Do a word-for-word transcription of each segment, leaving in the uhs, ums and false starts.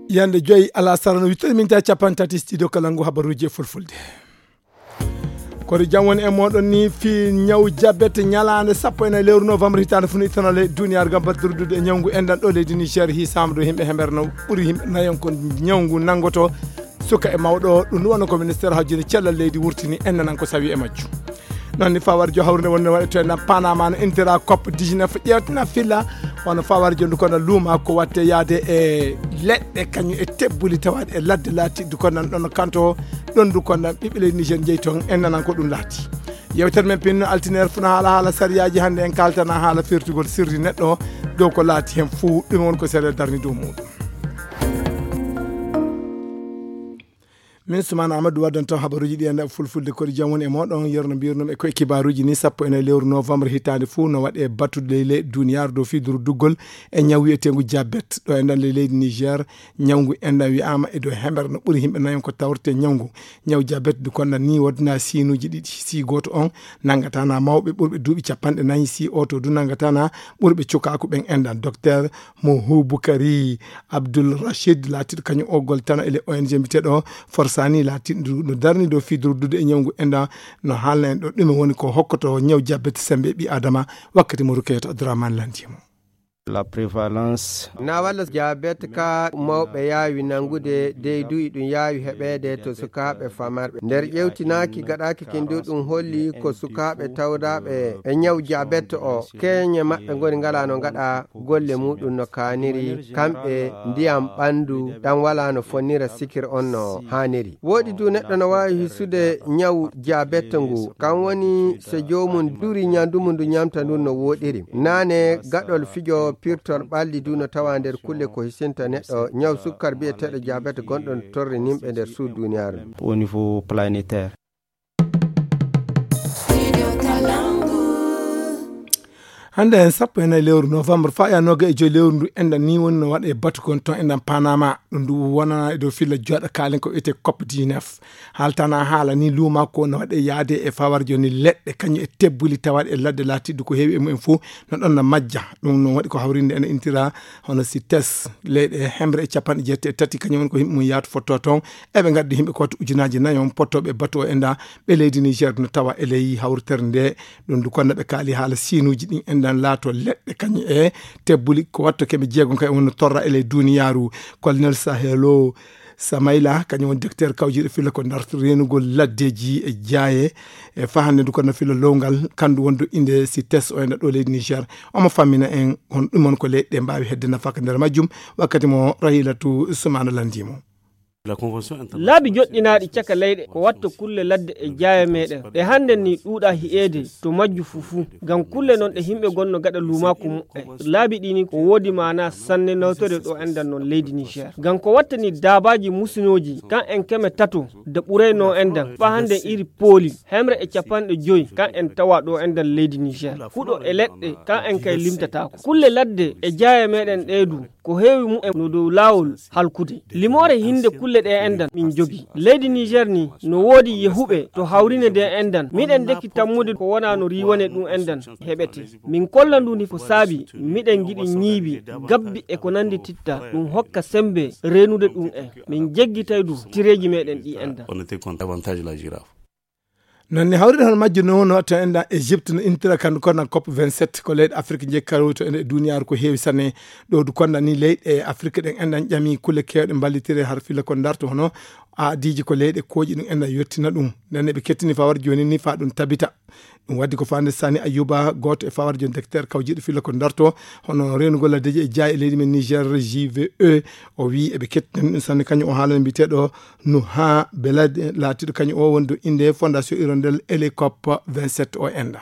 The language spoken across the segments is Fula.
Yande joyi alasara no wittani minti capanɗe tati, studio Kalangu, habaruuji e fulfulde. Kono jam woni e mooɗon ni fii ñaw jabet, ñalaande sappo e nayi lewru novembre hitaande fuu no ittanoo ley duniyaaru ngam battirdude e ñawngu enɗan ɗo leydi Niger. Hiisaama ɗo yimɓe hemere no ɓuri yimɓe nayon ko ñawngu nanngoto suka e mawɗo. Ɗum woni ko ministeer hawjinde cellal leydi wurtini enɗan ko sawi e majju. Noon ni fawar jo hawrinde wonde waɗe to enɗan Panama no intira cop dix-neuf ƴeewtina filla wano fawar jo ndu kono luuma ko watte yaade e leɗɗe kañum e tebbuli tawaɗe e ladde laatiɗi du kono ɗon kanto ɗon du kono ɓiɓɓe leydi Niger jeyi toon en nanan ko ɗum laati. Yewtere men pinno altineer funa haala haala sariyaaji hannde en kaltana haala firtugol sirri neɗɗo dow ko laati heen fuu ɗum won ko seeɗa darni dow muɗum. Min Sumaana Amadou waddan toon habaruuji ɗi enda fulfulde koɗi jam woni e moɗon yerno mbirnum e koye kibaruuji ni sappo e nayi lewru novembre hitaande fuu no waɗe batude ley duniyaaru dow fii duru duggol e ñaw wiyeteengu jabet ɗo e nder ley leydi Niger. Ñawngu enɗan wiyaama e dow hemere no ɓuri yimɓe nayon ko tawrete ñawngu ñaw jabet du konna ni wodna siinuuji ɗiɗi si gooto on nangatana mawɓe ɓurɓe duuɓi capanɗe nayi si oto du nangatana ɓurɓe cukaaku ɓen enɗan. Docteur Mohu Bukari Abdul Rashid laatiɗo kañum o goltano e le O N G mbiyeteeɗo Forsani laatiɗo no darni dow fii durdude e ñawngu enɗan no haalna en ɗo ɗume woni ko hokkoto ñaw jabet sembe ɓi adama. Wakkati mo Rukayatu Abdurrahman lanti mo. La prévalence na walla jabet ka mawɓe yaawi nangude dey du'i ɗum yaawi heɓeede to sukaaɓe famarɓe nder ƴewtinaaki gaɗaaki kin du ɗum holli ko sukaaɓe tawdaaɓe e ñaw jabet o keeñe maɓɓe ngoni ngala no ngaɗa golle muɗum no kaaniri kamɓe ndiyam ɓandu ɗan wala no fonnira sikir on no haaniri. Woodi du neɗɗo no waawi hisude ñaw jabet ngu kan woni so joomum duri ñandu mum ndu ñamta ndun no wooɗiri. Naane gaɗol fijo pirtol ɓalli du no tawa nder kulle ko hisinta neɗɗo ñaw sukkar biyeteeɗo jabet gonɗo no torri nimɓe nder suudu duniyaaru. Au niveau planétaire. Hannde en sappo e nayi lewru novembre faaya noga e joyi lewru ndu enɗan ni woni no waɗa e batu kon ton enɗan Panama ɗum ndu wonana e dow filla joɗa kaalen ko wiyete cop dix-neuf. Haaltana haala ni luuma ko no waɗe yaade e fawar joni leɗɗe kañum e tebbuli tawaɗe e ladde laatiɗi ko heewi e mumen fof no ɗon no majja. Ɗum no waɗi ko hawrinde ene intira hono sites leyɗe hemre e capanɗe jeetati e tati kañum woni ko yimɓe mum yaatu fotto toon. Eɓe ngaddi yimɓe ko wattu ujunaji nayo pottoɓe batu o enɗan ɓe leydi Niger no tawa e ley hawritere nde. Ɗum du kono ɓe kaali haala siinuuji ɗin enɗan laato leɗɗe kañum e tebbuli ko watto keɓe jeegom kay wonno torra e ley duniyaaru. Colonel Sahelo Samayla kañum woni docteur kawjiiɗo filla ko ndarta reenugol laddeeji e jaaye e fahannde ndu kono filla lowngal kandu wondu inde si tes o enɗa ɗo leydi Niger. Omo fammina en on ɗum on ko leyɗe mbaawi hedde nafaka nder majjum. Wakkati mo Rahilatu Sumana landimo. Laabi joɗɗinaaɗi caka leyɗe ko watta kulle ladde e jaaya meɗen ɗe hannden ni ɗuuɗa hi'eede to majju fuu fuu. Ngam kulle non ɗe yimɓe gonno gaɗa luumaaku muɓɓen laabi ɗi ni ko woodi maana sanne nawtore ɗo enɗan non leydi Niger. Ngam ko watta ni daabaaji musinooji kan en keme tato da ɓurayno enɗan faa hannden iri pooli hemre e capanɗe joyi kan en tawa ɗo enɗan leydi Niger. Kuɗo e leɗɗe kan en kay limtataako kulle ladde e jaaya meɗen ɗe du ko heewi mumen no dow laawol halkude. Limoore hinde kulle ɗe enɗan min jogi. Leydi Niger ni no woodi yehuɓe to hawrine nde enɗan. Miɗen ndekki tammude ko wona no riiwane ɗum enɗan heɓete. Min kolla ndu ni ko saabi miɗen ngiɗi ñiibi, gabbi e ko nandi titta ɗum hokka sembe reenude ɗum en. Min jeggitay du tireeji meɗen ɗi enɗan. Noon ne hawride hono majjo no no to enɗan Égypte no intira kandu kono cop vingt-sept ko leyɗe Afrique jekkaroy to ene duniyaaru ko heewi sanne. Ɗo du konda ni leyɗe Afrique ɗen enɗan ƴami kulle kewɗe mballitire har filla ko darto hono aadiiji ko leyɗe kooƴi ɗum enɗan yettina ɗum. Nden ne ɓe kettini fawar jooni ni fa ɗum tabita. Ɗum waddi ko fande Sani Ayuba gooto e fawar jooni docteur kawjiiɗo filla ko darto hono reenugol laddeeji e jaay e leydi men Niger J V E. O wii eɓe kettini ɗum sanne kañum o haalana mbiyeteeɗo Nuha Belade laatiiɗo kañum o wondu innde Fondation Hirondelle Elecop vingt-sept o enɗan.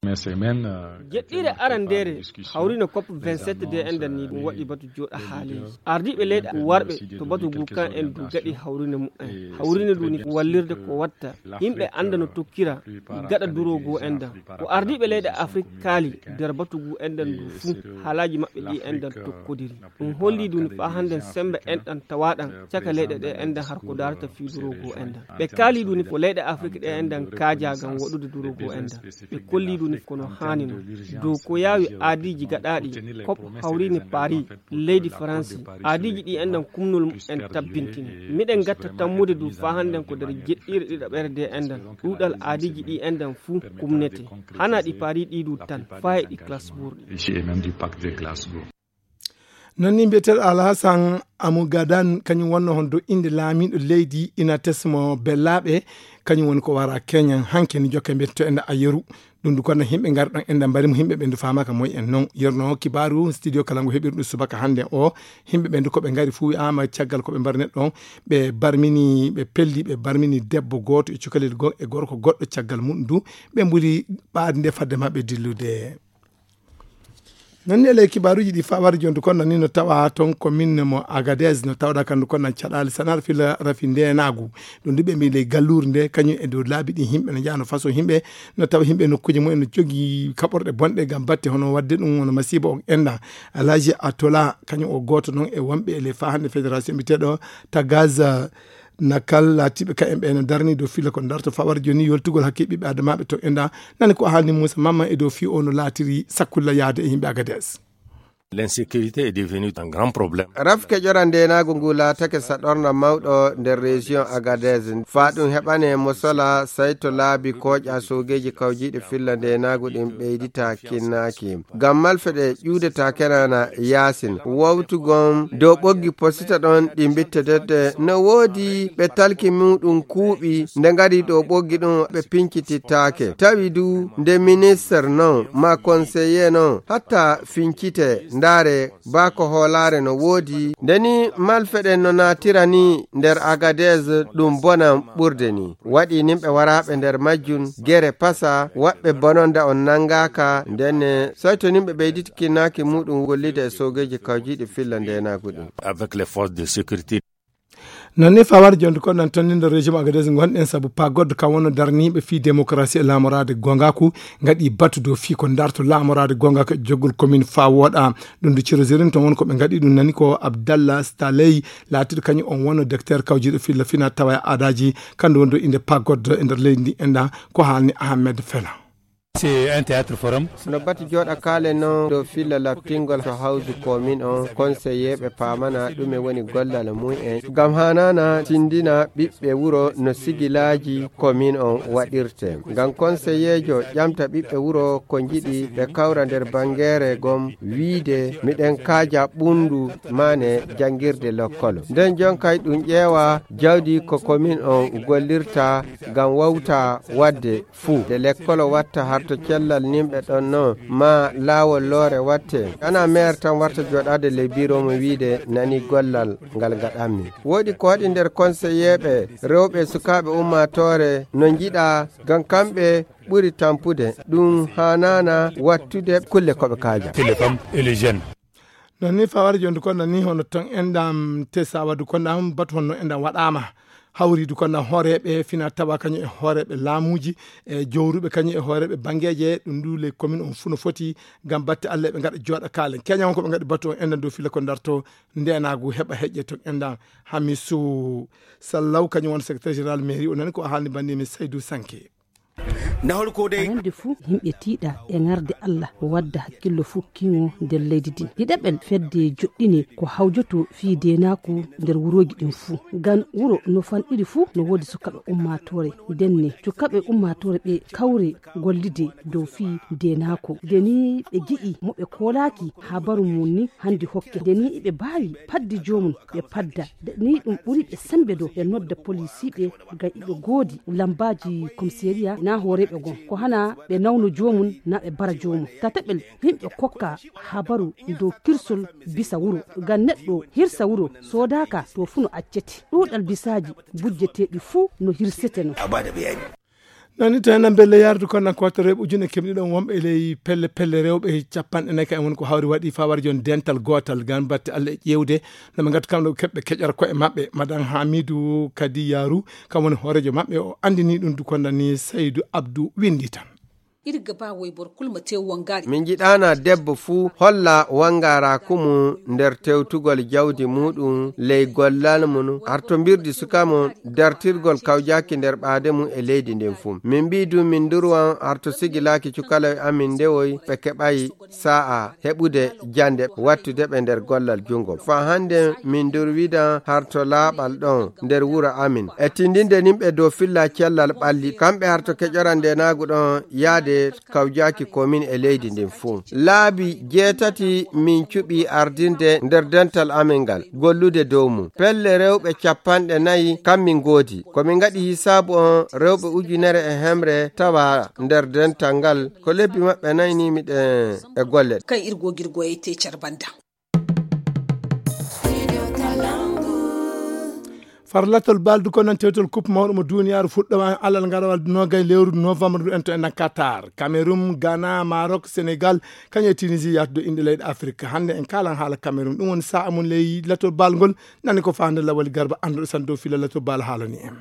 Jeɗɗire arandeere hawrino cop vingt-sept de enɗan ni ɗum waɗi batu jooɗa haaleeji. Ardiiɓe leyɗe warɓe to batu ngu kan en du gaɗi hawrine mumen. Hawrine ndu ni wallirde ko watta yimɓe annda no tokkira gaɗa duroogu enɗan. Ko ardiiɓe leyɗe Afrik kaali nder batu ngu enɗan ndu fuu haalaaji maɓɓe ɗi enɗan tokkodiri. Ɗum holli ɗum faa hannden semmbe enɗan tawaaɗan caka leyɗe ɗe enɗan har ko daarata fii duroogu enɗan. Ɓe kaali ɗum ko leyɗe Afrik ɗe enɗan kaajaa ngam waɗude duroogu enɗan. Ɓe kolli ɗum Kono haani no dow ko yaawi aadiiji gaɗaaɗi, kop hawriini Paris, leydi Faransi. Aadiiji ɗi enɗan kumnol en tabbintini. Miɗen gatta tammude du faa hannden ko nder jeɗɗiire ɗiɗaɓere de enɗan ɗuuɗal aadiiji ɗi enɗan fuu kumnete. Hana ɗi Paris ɗi du tan, faa e ɗi Glasgow ɗi. Non ni mbiyeteeɗo Alhasan Amugadan, kañum wonno hon do innde laamiiɗo leydi Inates mo Bellaaɓe, kañum woni ko wara Keñan hanke ni jokke mbiyetto enda a yeru. Ɗum du kono himɓe ngari ɗon enda mbari mo, himɓe ɓe ndu faamaka moy en non. Yerno kibaaru studio kala ngu heɓiri ɗum subaka hannde o, himɓe ɓe ndu ko ɓe ngari fuu wi'aama caggal ko ɓe mbari neɗɗo on, ɓe barmini, ɓe pelli, ɓe barmini debbo gooto e cukalel goo e gorko goɗɗo caggal mum du, ɓe mbuli ɓaade nde fadde maɓɓe dillude. Non ni e ley kibaaruuji ɗi fawari jondu kon nan ni no tawa ton commune mo Agadez no tawɗa kandu kon nan caɗaali sanar fila rafi ndenaagu. Ɗum du ɓe mbi ley galluure nde kañum e dow laabi ɗi himɓe no njahano façon himɓe no tawa himɓe nokkuuji mumen no jogii kaɓorɗe bonɗe ngam batte hono waɗde ɗum wona masiiba on enda. Alhaji Atola kañum o gooto non e wonɓe e ley fa hannde fédération mbiyeteeɗo Tagaza Nakal laatiiɓe ka en ɓe no darni dow fila ko darto fawar joni yoltugol hakke ɓiɓɓe adamaaɓe to enda. Nani ko haalni Moussa Mamma e dow fii o no laatiri sakkulla yaade e yimɓe Agadez. L'insécurité est devenue un grand problème. Rafke ƴora ndenaagu ngu laatake saɗorna mawɗo nder région Agadez. Faa ɗum heɓane mosola sayto laabi kooƴa soogeeji kawjiiɗe filla ndenaagu ɗin ɓeydita kinnaaki. Ngam malfeɗe ƴuudeta kenana yaasin. Wowtugon dow ɓoggi posita ɗon ɗi mbittededde no woodi ɓe talki muɗum kuuɓi nde ngari dow ɓoggi ɗum ɓe pincitittaake. Tawi du nde minister non ma conseiller non hatta fincite ndaare baa ko hoolaare no woodi. Nde ni malfeɗen no naatira ni nder Agadez ɗum bonan ɓurde ni. Waɗi nimɓe waraaɓe nder majjun gere pasa waɗɓe bononda on nangaaka ndenne soyto nimɓe ɓeyditi kinnaaki muɗum gollide e soogeeji kawjiiɗi filla ndenaagu ɗin. Avec les forces de sécurité. Non ni fawar jondu kon nan ton nindo régime Agadez gonɗen sabu pagoddo kan wonno darniiɓe fii démocratie e laamoraade gongaku ngaɗi batu dow fii ko darto laamoraade gongaku e joggol commune faa wooɗa. Ɗum du cirozirin ton won ko ɓe ngaɗi ɗum nani ko Abdallah Staley laatiɗo kañum on wonno docteur kawjiiɗo filla fina tawa e aadaaji kandu wondu inde pagoddo e nder leydi ndi enda ko haalni Ahmed Fela. C'est un théâtre forum. No bati jooɗa kaale non dow filla laptingol to hawsu komin on konseyeeɓe paamana ɗume woni gollal mumen ngam hanana tindina ɓiɓɓe wuro no sigilaaji komin on waɗirte ngam konseyeejo ƴamta ɓiɓɓe wuro ko njiɗi ɓe kawra nder bangeere gom wiide miɗen kaaja ɓundu mane jangirde lokkolo nden jonkay ɗum ƴeewa jawdi ko komin on gollirta ngam wawta waɗde fuu nde lekkolo watta harto cellal nimɓe ɗon non ma laawol loore watte ana meer tan warta jooɗaade ley biro mo wiide nani gollal ngal ngaɗanmi woodi ko waɗi nder konseyeeɓe rewɓe sukaaɓe ummaatoore no njiɗa ngam kamɓe ɓuri tampude ɗum haanaana wattude kulle ko ɓe kaaja. Télécom et les jeunes. Non ni fawari jondu kon nan ni hono ton endam te sawadu kon nan batu honno endam waɗama hawridu kon nan hooreɓe fina tawa kañum e hooreɓe laamuji e jowruɓe kañum e hooreɓe bangeje ɗum ndu ley commune on fuu no foti ngam batte Allah ɓe ngaɗa jooɗa kaalen keña on ko ɓe ngaɗi batu on endan dow fila ko darto ndenagu heɓa heƴƴe ton endan hamisu sallaw kañum won secrétaire général mairie o nani ko haalni bandimi Saydou Sanke. Nahol ko dey arande fuu yimɓe tiiɗa e ŋarde Allah wadda hakkillo fuu kiŋo nder leydi ndin ɗiɗaɓel fedde joɗɗine ko hawjoto fii deenaaku nder wurooji ɗin fuu ngam wuro no fanɗiri fuu no woodi sukaaɓe ummaatoore ndenne sukaaɓe ummaatoore ɓe kawre gollide dow fii deenaaku nde ni ɓe gi'i mo ɓe koolaaki habaru mum ni hannde hokke nde ni iɓe mbaawi paddi joomum ɓe padda nde ni ɗum ɓuri ɓe semmbe dow ɓe nodda polisiiɓe ngam iɓe ngoodi lammbaaji komiseeriya na hooreeɓe goo ko hana ɓe nawno joomum na ɓe mbara joomum tataɓel yimɓe kokka habaru dow kirsol bisa wuro ngam neɗɗo hirsa wuro soodaaka to fuu no accete ɗuuɗal bisaaji bujjeteeɗi fuu no hirsete no. Nani to enen belle yardu kon nan kottoreɓe ujune kemɗi ɗon wonɓe e ley pelle pelle rewɓe capanɗe nayi ka en woni ko hawri waɗi fawar jon dental gotal gan batte Allah e ƴewde no ɓe gatti kamɗo keɓɓe keƴora koye maɓɓe madan hamidu kadi yaru kam woni hoorejo maɓɓe o andini ɗum du kondani saydu abdou windi tan. Irga ba woybor kulma te wangari. Min jiɗaana debbo fuu holla wangaaraaku mum nder tewtugol jawdi muuɗum ley gollal mum, harto mbirdi suka mum, dartirgol kawjaaki nder ɓaade mum e leydi ndin fuu. Min mbi'i duu min ndurwan harto sigilaaki cukaloy amin ndewoy ɓe keɓay saa'a heɓude jande wattude ɓe nder gollal junngo. Faa hannde min ndurwidan harto laaɓal ɗon nder wuro amin. E tindinde nimɓe dow filla cellal ɓalli, kamɓe harto keƴoran ndeenaagu ɗon yaade kawjaaki komin e leydi ndin fuu. Laabi jeetati min cuɓi ardinde nder dental amin ngal, gollude dow mum. Pelle rewɓe capanɗe nayi kam min ngoodi. Ko min ngaɗi hisaabu on rewɓe ujunere e hemre tawa nder dental ngal. Ko lebbi maɓɓe nayi ni miɗen e golle. Kan irgogirgo e te carbanda. Farlatol baldu ko noon tewtol coupe mawɗo mo duniyaaru fuɗɗowa e alal ngarawal nogay lewru novembre ndu en to enɗan Qatar. Cameroun, Ghana, Maroc, Sénégal, kañum e Tunisie yahdude inɗe leyɗe Afrique. Hannde en kaalan haala Cameroun. Ɗum woni sa'a mum ley latol bal ngol. Nani ko faande lawal garba annduɗo san dow fila latol bal haalani en.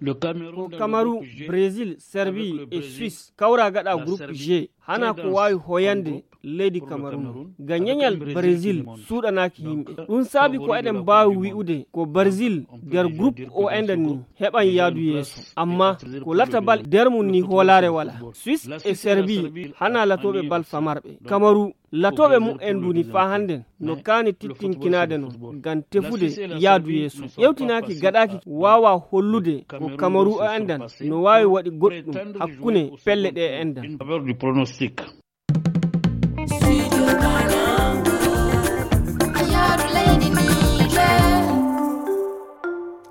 Ko Kamaru, Brésil, Serbi e Suisse kawra gaɗa groupe G. Hana ko waawi hoyande leydi Kamaru. Ga ñeñal Brésil suuɗanaaki yimɓe. Ɗum saabi ko eɗen mbaawi wi'ude ko Brésil nder groupe o enɗan ni heɓan yaadu yeeso. Amma ko latabal nder mum ni hoolaare wala. Suisse e Serbi hana latooɓe bal famarɓe. Kamaru latooɓe mumen nduni faa hannden no kaani tittinkinaade no ngam tefude yaadu yeeso. Ƴewtinaaki gaɗaaki waawa hollude ko Kamaru o enɗan no waawi waɗi goɗɗum hakkunde pelle ɗe enɗan.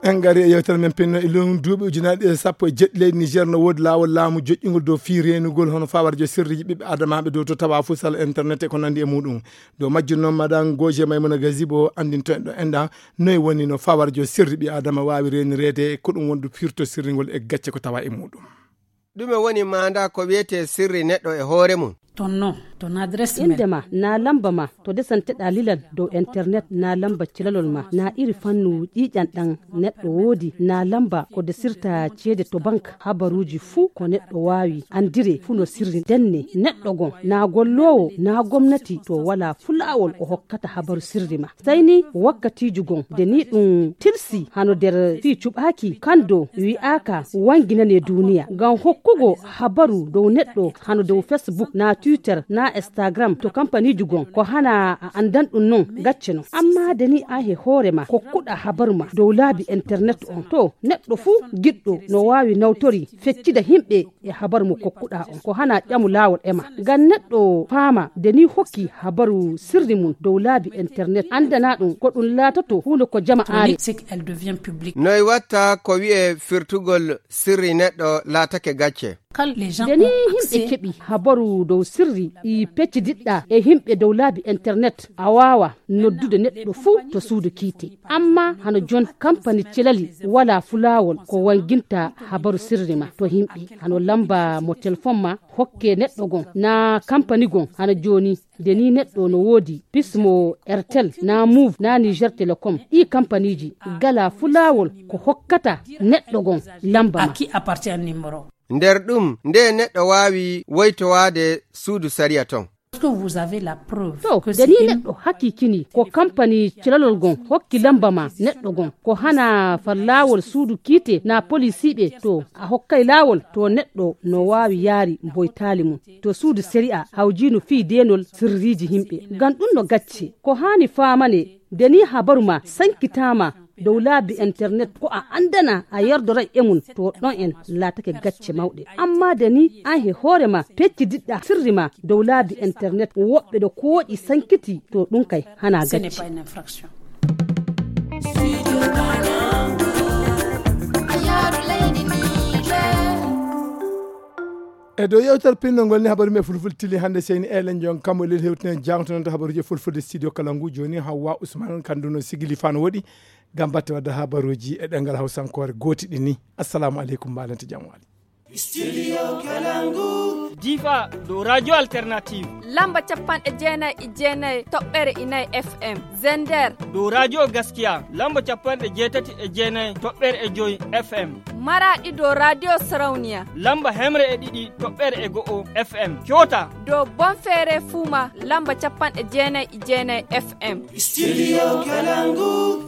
En ngari e yewtere men pinno e lewru duuɓi ujunaaji ɗiɗi e sappo e jeɗɗi leydi Niger no woodi laawol laamu joƴƴingol dow fii reenugol hono fawarjo sirriji ɓiɓɓe adamaaɓe dow to tawa fusal internet e ko nandi e muɗum. Dow majjum noon, Madame Goje Maimouna Gazibo anndinto en ɗo enɗan noy woni no fawarjo sirri ɓi adama waawi reenireede, ko ɗum wondu firto sirringol e gacce ko tawa e muɗum. Ɗume woni maanda ko wiyetee sirri neɗɗo e hoore mum? Ton nom, ton adresse mail. Innde ma, naa lamba ma, to desanteɗaa lilal dow internet, naa lamba cilalol ma, naa iri fannu ƴiiƴan ɗan neɗɗo woodi, naa lamba ko desirta ceede to bank, habaruuji fuu ko neɗɗo waawi anndire fuu no sirri. Ndenne, neɗɗo gon, naa golloowo, naa gomnati, to walaa fulaawol o hokkata habaru sirri ma. Sey ni wakkatiiju gon, nde ni ɗum tilsi hano nder fii cuɓaaki, kan dow wi'aaka wanginane duuniya. Ngam hokkugo habaru dow neɗɗo hano dow Facebook, naa Twitter, naa Instagram, to kampaniiju gon, ko hana a anndan ɗum non gacce non. Amma nde ni an he hoore ma kokkuɗaa habaru ma dow laabi internet on, to neɗɗo fuu giɗɗo no waawi nawtori feccida himɓe e habaru mo kokkuɗaa on. Ko hana ƴamu laawol e ma. Ngam neɗɗo faama nde ni hokki habaru sirri mum dow laabi internet, anndana ɗum ko ɗum laatoto huunde ko jama aare. Noy watta ko wi'e firtugol sirri neɗɗo laatake gacce? Nde ni himɓe keɓi habaru dow sirri ɗi peccidiɗɗa e himɓe dow laabi internet, a waawa noddude neɗɗo fuu to suudu kiite. Amma hano jon kampani celali wala fulaawol ko wanginta habaru sirri ma to himɓe. Hano lamba mo telefon ma hokke neɗɗo gon, naa kampani gon hano jooni. Nde ni neɗɗo no woodi Pismo, Airtel, naa Move, naa Niger Telecom. Ɗii kampaniiji gala fulaawol ko hokkata neɗɗo gon lamba ma. Nder ɗum, nde neɗɗo waawi woytowaade suudu sariya ton? To, nde ni neɗɗo hakiikini ko kampani cilalol gon hokki lamba ma neɗɗo gon, ko hana far laawol suudu kiite naa polisiiɓe, to a hokkay laawol, to neɗɗo no waawi yaari mboytaali mum to suudu sariya hawjiinu fii deenol sirriiji himɓe. Ngam ɗum no gacce, ko haani faamane, nde ni habaru ma sankitaama dow laabi internet, ko a anndana a yerdoray e mum, to ɗon en laatake gacce mawɗe. Amma nde ni an he hoore ma peccidiɗɗa sirri ma dow laabi internet, woɓɓe ɗo kooƴi sankiti, to ɗum kay hana gacce. E dow yewtere pinno ngol ni habaru me fulfulde tili hannde, seyni Elen Jon Kammo lel hewtinen jangtonon to habaruji e fulfulde studio kala ngu. Jooni Hawwa Usman kanduno sigili fano woɗi ngam batte wadde habaruji e ɗemngal hawsankoore gooti ɗi ni. Assalamu aleykum, mbalente jam wali. Studio Kalangu. Difa, dow Radio Alternative. Lamba capanɗe jeenayi e jeenayi toɓɓere inayi F M. Zender. Dow Radio Gaskiya, lamba capanɗe jeetati e jeenayi toɓɓere e joyi F M. Maraɗi, dow Radio Sarauniya. Lamba hemre e ɗiɗi toɓɓere e go'o F M. Kyota. Dow Bonfere Fuma, lamba capanɗe jeenayi e jeenayi F M. Studio Kalangu.